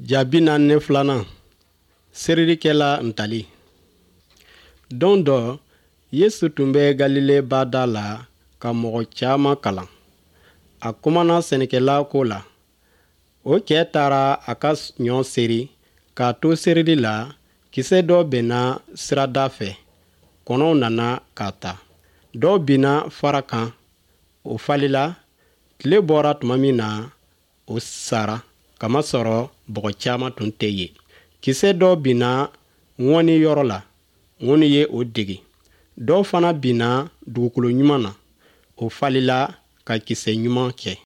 Ja 42nan, serilikɛla ntali. Don dɔ, Yesu tun bɛ Galile ba da la ka mɔgɔ caman kalan. A kumana sɛnɛkɛla ko la. O cɛ taara a ka ɲɔ seri. K'a to serili la, kisɛ dɔ binna sirada fɛ, kɔnɔw nana k'a ta. Dɔ binna fara kan, o falila. Tile bɔra tuma min na, o sara, kamasɔrɔ bɔgɔ caman tun tɛ yen. Kisɛ dɔ binna ŋɔni yɔrɔ la, ŋɔni ye o degi. Dɔ fana binna dugukolo ɲuman na, o falila ka kisɛ ɲuman kɛ.